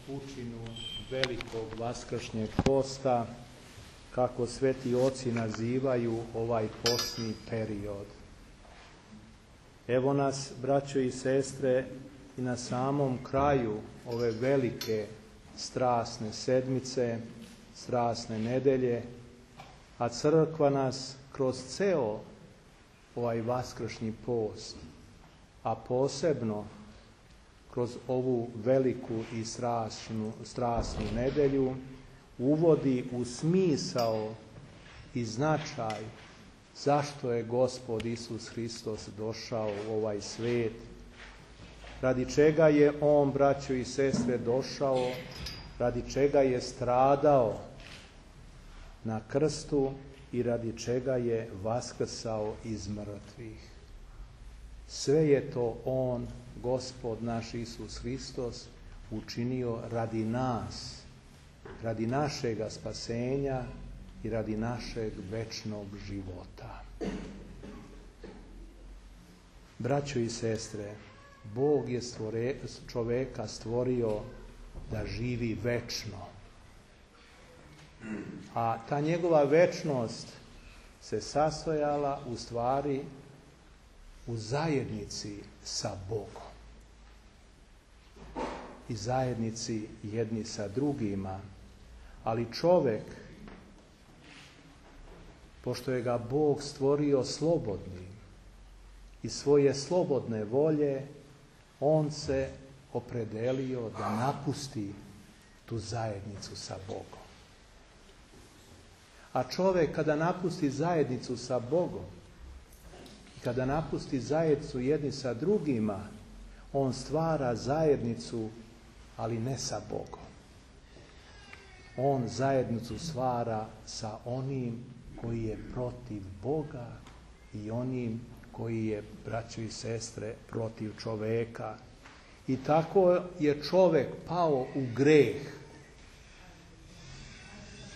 učinu velikog vaskršnjeg posta, kako sveti oci nazivaju ovaj postni period. Evo nas, braćo i sestre, i na samom kraju ove velike strasne sedmice, strasne nedelje, a crkva nas kroz ceo ovaj vaskršnji post, a posebno kroz ovu veliku i strasnu nedelju, uvodi u smisao i značaj zašto je Gospod Isus Hristos došao u ovaj svet, radi čega je On, braćo i sestre, došao, radi čega je stradao na krstu i radi čega je vaskrsao iz mrtvih. Sve je to On, Gospod naš Isus Hristos, učinio radi nas, radi našega spasenja i radi našeg večnog života. Braćo i sestre, Bog je čoveka stvorio da živi večno. A ta njegova večnost se sastojala u stvari u zajednici sa Bogom. I zajednici jedni sa drugima. Ali čovek, pošto je ga Bog stvorio slobodnim i svoje slobodne volje, on se opredelio da napusti tu zajednicu sa Bogom. A čovek kada napusti zajednicu sa Bogom, kada napusti zajednicu jedni sa drugima, on stvara zajednicu, ali ne sa Bogom. On zajednicu stvara sa onim koji je protiv Boga i onim koji je, braćo i sestre, protiv čoveka. I tako je čovek pao u greh.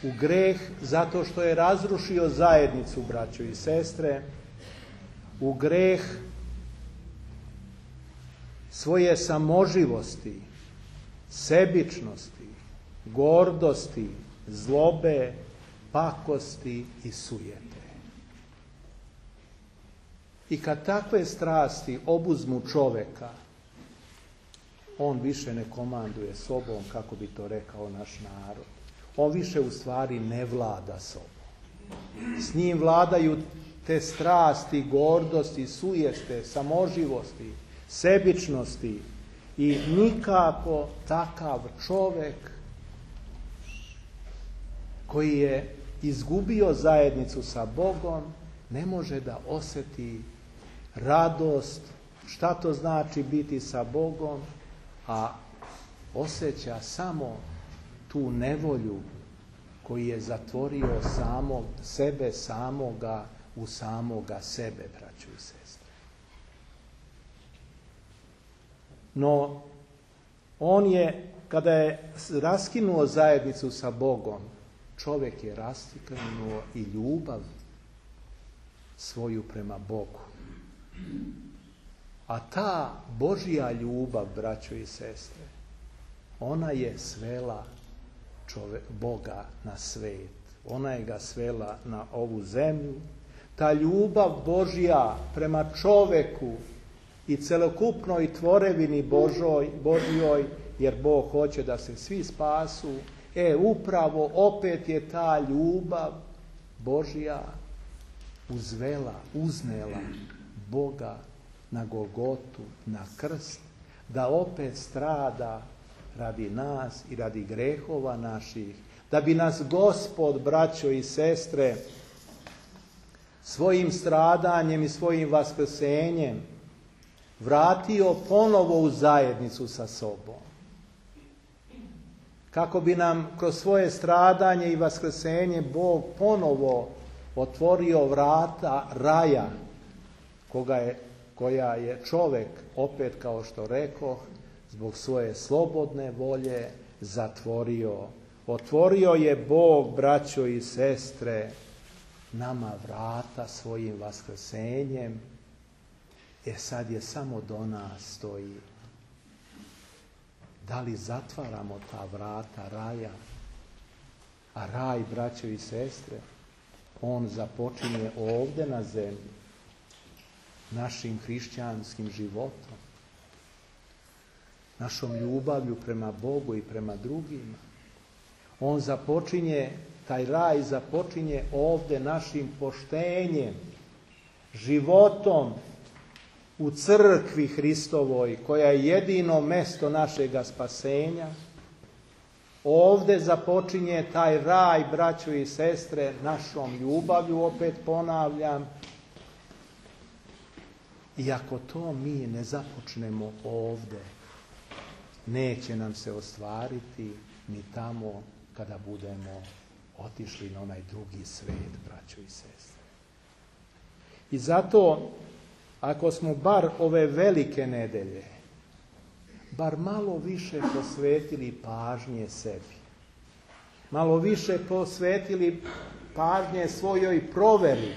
U greh zato što je razrušio zajednicu, braćo i sestre, u greh svoje samoživosti, sebičnosti, gordosti, zlobe, pakosti i sujete. I kad takve strasti obuzmu čoveka, on više ne komanduje sobom, kako bi to rekao naš narod. On više u stvari ne vlada sobom. S njim vladaju te strasti, gordosti, sujeste, samoživosti, sebičnosti i nikako takav čovek koji je izgubio zajednicu sa Bogom ne može da osjeti radost, šta to znači biti sa Bogom, a osjeća samo tu nevolju koji je zatvorio sebe samoga u samoga sebe, braćo i sestre. No, on je, kada je raskinuo zajednicu sa Bogom, čovjek je raskinuo i ljubav svoju prema Bogu. A ta Božja ljubav, braćo i sestre, ona je svela Boga na svet. Ona je ga svela na ovu zemlju. Ta ljubav Božja prema čoveku i celokupnoj tvorevini Božjoj, jer Bog hoće da se svi spasu, upravo opet je ta ljubav Božja uznela Boga na Golgotu, na krst, da opet strada radi nas i radi grehova naših, da bi nas Gospod, braćo i sestre, svojim stradanjem i svojim vaskrsenjem vratio ponovo u zajednicu sa sobom. Kako bi nam kroz svoje stradanje i vaskrsenje Bog ponovo otvorio vrata raja koja je čovek, opet kao što rekoh, zbog svoje slobodne volje zatvorio. Otvorio je Bog, braćo i sestre, nama vrata svojim vaskrsenjem, sad je samo do nas stoji Da li zatvaramo ta vrata raja? A raj, braćo i sestre, on započinje ovdje na zemlji, našim hrišćanskim životom, našom ljubavlju prema Bogu i prema drugima. On započinje, taj raj započinje ovdje našim poštenjem, životom u crkvi Hristovoj, koja je jedino mesto našega spasenja. Ovdje započinje taj raj, braćo i sestre, našom ljubavlju, opet ponavljam. I ako to mi ne započnemo ovdje, neće nam se ostvariti ni tamo kada budemo otišli na onaj drugi svet, braćo i sestre. I zato, ako smo bar ove velike nedelje, bar malo više posvetili pažnje sebi, malo više posvetili pažnje svojoj proveri,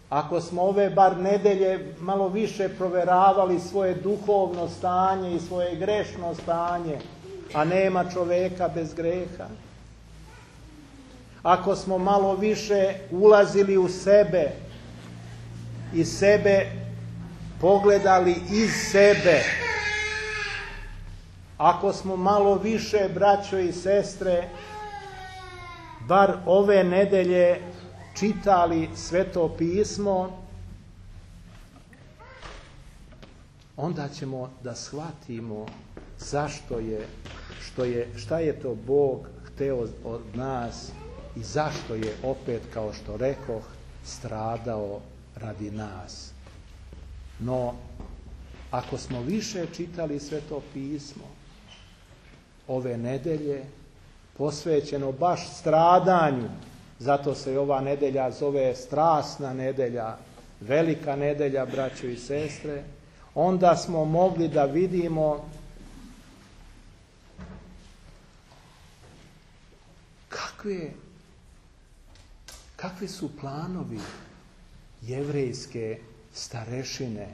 ako smo ove bar nedelje malo više proveravali svoje duhovno stanje i svoje grešno stanje, a nema čoveka bez greha, ako smo malo više ulazili u sebe i sebe pogledali iz sebe, ako smo malo više, braćo i sestre, bar ove nedelje čitali Sveto pismo, onda ćemo da shvatimo šta je to Bog hteo od nas i zašto je opet, kao što rekoh, stradao radi nas. No, ako smo više čitali Sveto pismo ove nedelje, posvećeno baš stradanju, zato se i ova nedelja zove strasna nedelja, velika nedelja, braćo i sestre, onda smo mogli da vidimo kakvi su planovi jevrejske starešine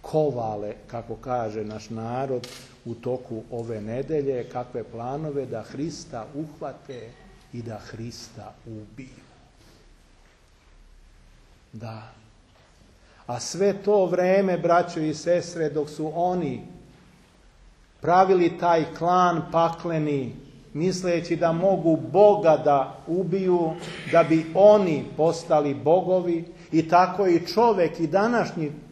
kovale, kako kaže naš narod, u toku ove nedelje, kakve planove da Hrista uhvate i da Hrista ubiju. Da. A sve to vreme, braćo i sestre, dok su oni pravili taj klan pakleni, misleći da mogu Boga da ubiju, da bi oni postali bogovi, i tako i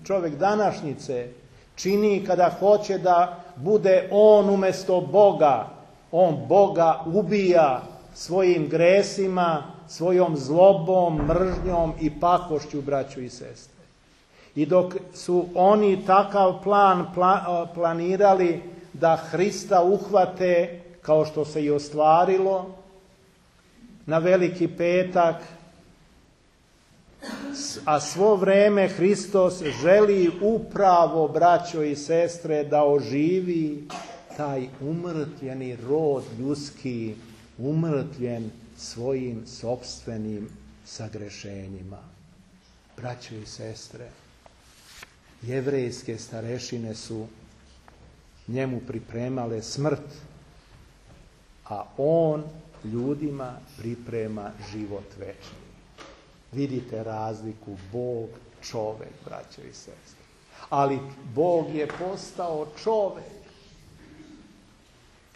čovjek današnjice čini kada hoće da bude on umjesto Boga. On Boga ubija svojim gresima, svojom zlobom, mržnjom i pakošću, braćo i sestre. I dok su oni takav plan planirali da Hrista uhvate, kao što se i ostvarilo na Veliki petak, a svo vreme Hristos želi upravo, braćo i sestre, da oživi taj umrtvljeni rod ljudski, umrtvljen svojim sopstvenim sagrešenjima. Braćo i sestre, jevrejske starešine su njemu pripremale smrt, a on ljudima priprema život večni. Vidite razliku, Bog, čovek, braćo i sestre. Ali Bog je postao čovek.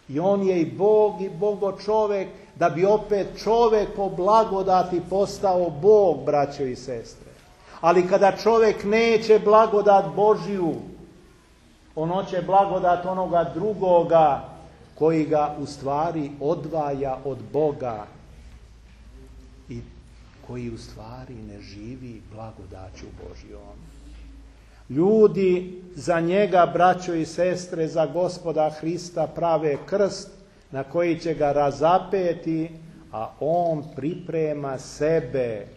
I on je i Bog i Bogo čovek, da bi opet čovek po blagodati postao Bog, braćo i sestre. Ali kada čovek neće blagodat Božju, on hoće blagodat onoga drugoga, koji ga u stvari odvaja od Boga i koji u stvari ne živi blagodaću Božjom. Ljudi za njega, braćo i sestre, za Gospoda Hrista prave krst na koji će ga razapeti, a on priprema sebe.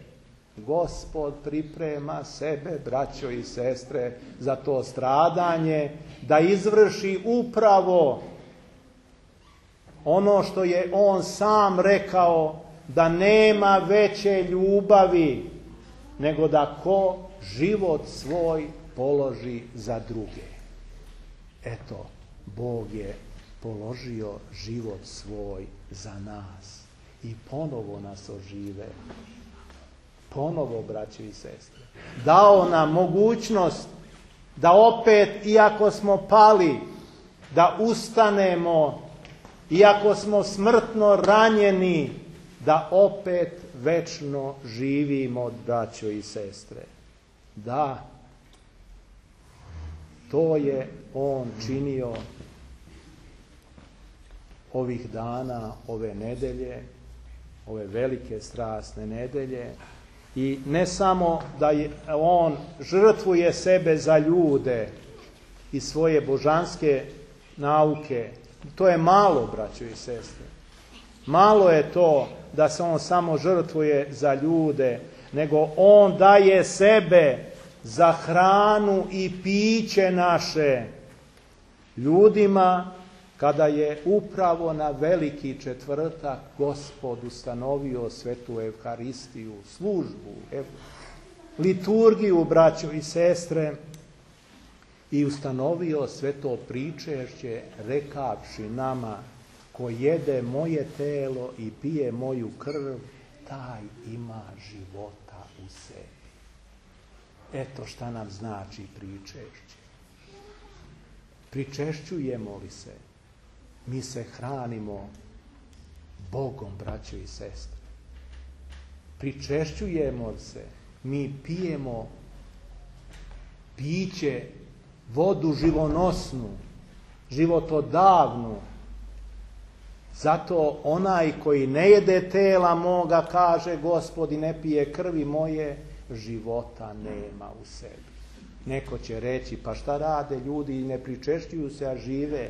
Gospod priprema sebe, braćo i sestre, za to stradanje, da izvrši upravo ono što je on sam rekao, da nema veće ljubavi nego da ko život svoj položi za druge. Eto, Bog je položio život svoj za nas i ponovo nas ožive. Ponovo, braće i sestre. Dao nam mogućnost da opet, iako smo pali, da ustanemo, iako smo smrtno ranjeni, da opet večno živimo, braćo i sestre. Da, to je on činio ovih dana, ove nedelje, ove velike strasne nedelje. I ne samo da on žrtvuje sebe za ljude i svoje božanske nauke. To je malo, braćo i sestre. Malo je to da se on samo žrtvuje za ljude, nego on daje sebe za hranu i piće naše ljudima, kada je upravo na Veliki četvrtak Gospod ustanovio svetu Evharistiju, službu, liturgiju, braćo i sestre, i ustanovio sveto pričešće, rekavši nama: ko jede moje telo i pije moju krv, taj ima života u sebi. Eto šta nam znači pričešće. Pričešćujemo li se? Mi se hranimo Bogom, braćo i sestre. Pričešćujemo se, mi pijemo piće, vodu živonosnu, životodavnu. Zato onaj koji ne jede tela moga, kaže Gospod, i ne pije krvi moje, života nema u sebi. Neko će reći, pa šta rade ljudi i ne pričešćuju se, a žive?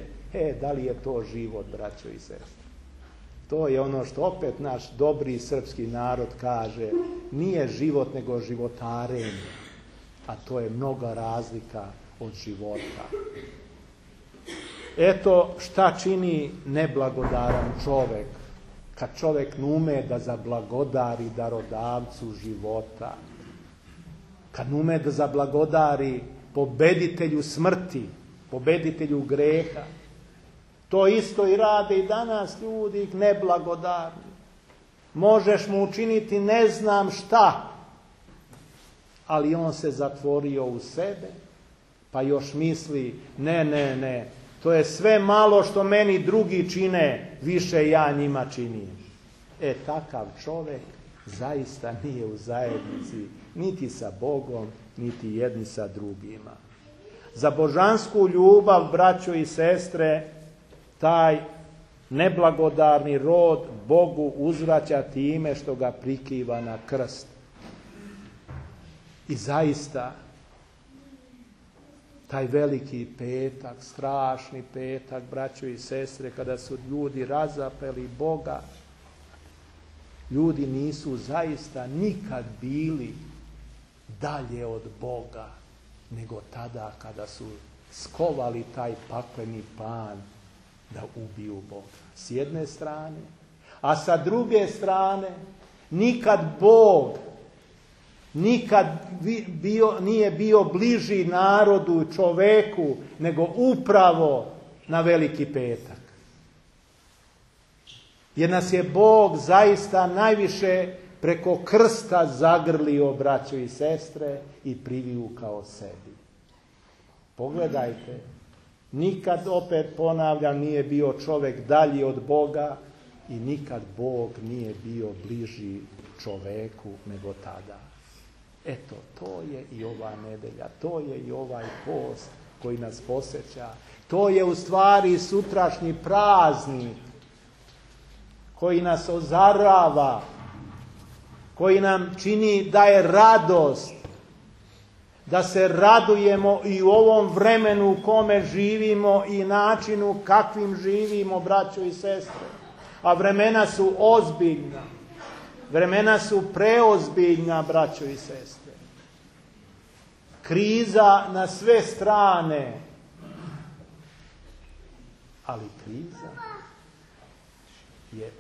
Da li je to život, braćo i sestre? To je ono što opet naš dobri srpski narod kaže, nije život nego životarenje, a to je mnoga razlika od života. Eto šta čini neblagodaran čovek, kad čovek ne ume da zablagodari darodavcu života, kad ne ume da zablagodari pobeditelju smrti, pobeditelju greha. To isto i rade i danas ljudi neblagodarni. Možeš mu učiniti ne znam šta, ali on se zatvorio u sebe, pa još misli, ne, to je sve malo što meni drugi čine, više ja njima činim. Takav čovek zaista nije u zajednici niti sa Bogom, niti jedni sa drugima. Za božansku ljubav, braćo i sestre, taj neblagodarni rod Bogu uzvraća time što ga prikiva na krst. I zaista, taj veliki petak, strašni petak, braćo i sestre, kada su ljudi razapeli Boga, ljudi nisu zaista nikad bili dalje od Boga, nego tada kada su skovali taj pakleni plan da ubiju Boga. S jedne strane, a sa druge strane, nikad Bog nije bio bliži narodu, čoveku, nego upravo na Veliki petak. Jer nas je Bog zaista najviše preko krsta zagrlio, braćo i sestre, i privukao sebi. Pogledajte, nikad, opet ponavljam, nije bio čovek dalji od Boga i nikad Bog nije bio bliži čoveku nego tada. Eto, to je i ova nedelja, to je i ovaj post koji nas posjeća. To je u stvari sutrašnji praznik koji nas ozarava, koji nam čini da je radost, da se radujemo i u ovom vremenu u kome živimo i načinu kakvim živimo, braćo i sestre. A vremena su ozbiljna, vremena su preozbiljna, braćo i sestre. Kriza na sve strane, ali kriza je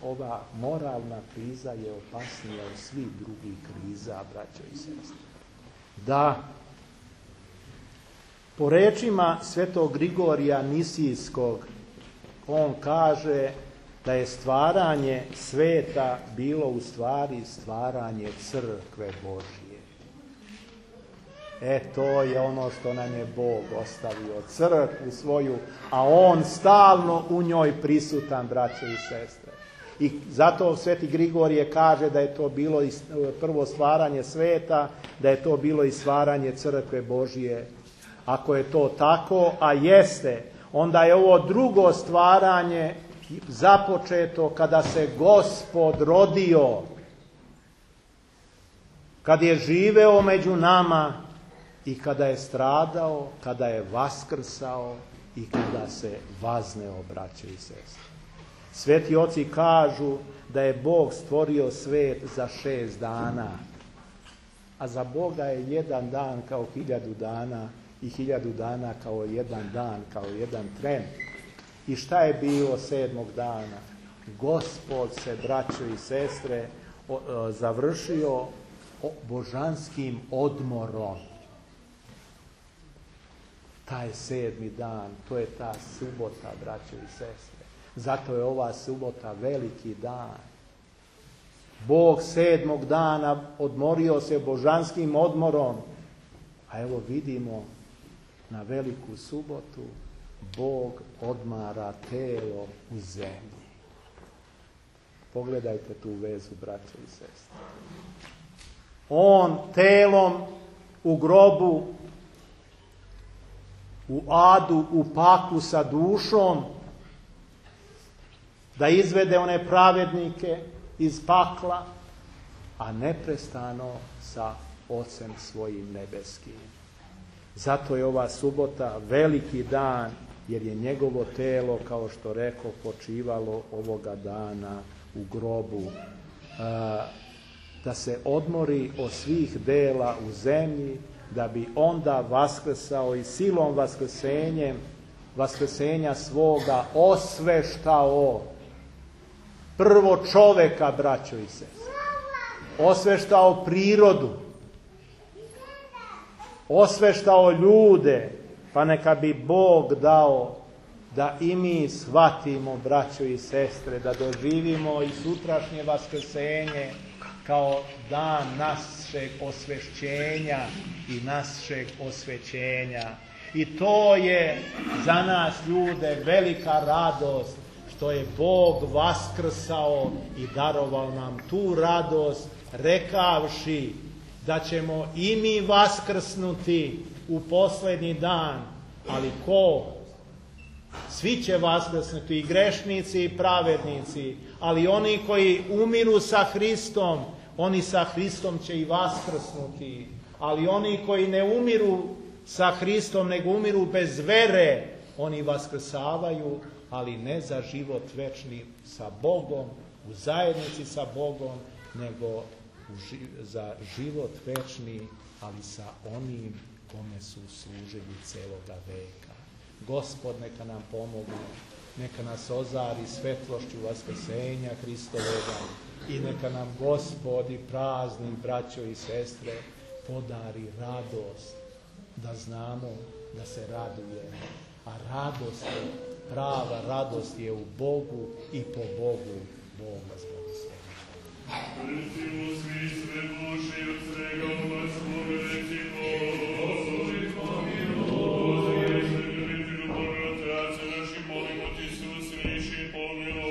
ova moralna kriza je opasnija od svih drugih kriza, braćo i sestre. Da, Po rečima svetog Grigorija Nisijskog, on kaže da je stvaranje sveta bilo u stvari stvaranje crkve Božje. To je ono što nam je Bog ostavio, crkvu svoju, a on stalno u njoj prisutan, braćo i sestre. I zato sveti Grigorije kaže da je to bilo prvo stvaranje sveta, da je to bilo i stvaranje crkve Božje. Ako je to tako, a jeste, onda je ovo drugo stvaranje započeto kada se Gospod rodio, kad je živeo među nama i kada je stradao, kada je vaskrsao i kada se vazneo, braćo i sestre. Sveti oci kažu da je Bog stvorio svet za 6 dana, a za Boga je 1 dan kao 1000 dana i 1000 dana kao 1 dan, kao 1 tren. I šta je bilo 7. dana? Gospod se, braćo i sestre, završio božanskim odmorom. Taj 7. dan, to je ta subota, braćo i sestre. Zato je ova subota veliki dan. Bog 7. dana odmorio se božanskim odmorom. A evo vidimo na veliku subotu Bog odmara telo u zemlji. Pogledajte tu vezu, braćo i sestre. On telom u grobu, u adu, u paklu sa dušom, da izvede one pravednike iz pakla, a neprestano sa Ocem svojim nebeskim. Zato je ova subota veliki dan, jer je njegovo telo, kao što rekao, počivalo ovoga dana u grobu. Da se odmori od svih dela u zemlji, da bi onda vaskrsao i silom vaskrsenja svoga osveštao prvo čoveka, braćo i sestre. Osveštao prirodu. Osveštao ljude, pa neka bi Bog dao da i mi shvatimo, braćo i sestre, da doživimo i sutrašnje vaskrsenje kao dan našeg osvešćenja i našeg osvećenja. I to je za nas, ljude, velika radost što je Bog vaskrsao i darovao nam tu radost, rekavši da ćemo i mi vaskrsnuti u posljednji dan. Ali ko? Svi će vaskrsnuti, i grešnici i pravednici, ali oni koji umiru sa Hristom, oni sa Hristom će i vaskrsnuti. Ali oni koji ne umiru sa Hristom, nego umiru bez vere, oni vaskrsavaju, ali ne za život večni sa Bogom, u zajednici sa Bogom, nego za život večni, ali sa onim kome su služili celoga veka. Gospod neka nam pomogne, neka nas ozari svetlošću vaskrsenja Hristovega i neka nam Gospod i prazni, braćo i sestre, podari radost, da znamo da se radujemo. A radost je, prava radost je u Bogu i po Bogu. Bog vas blagoslovi. Recimo svi sve duši od svega umaslovi, recimo, Gospodi pomiluj. Gospodi, ljubitelju Boga, Otaca naši, molimo ti se, usliši, pomiluj.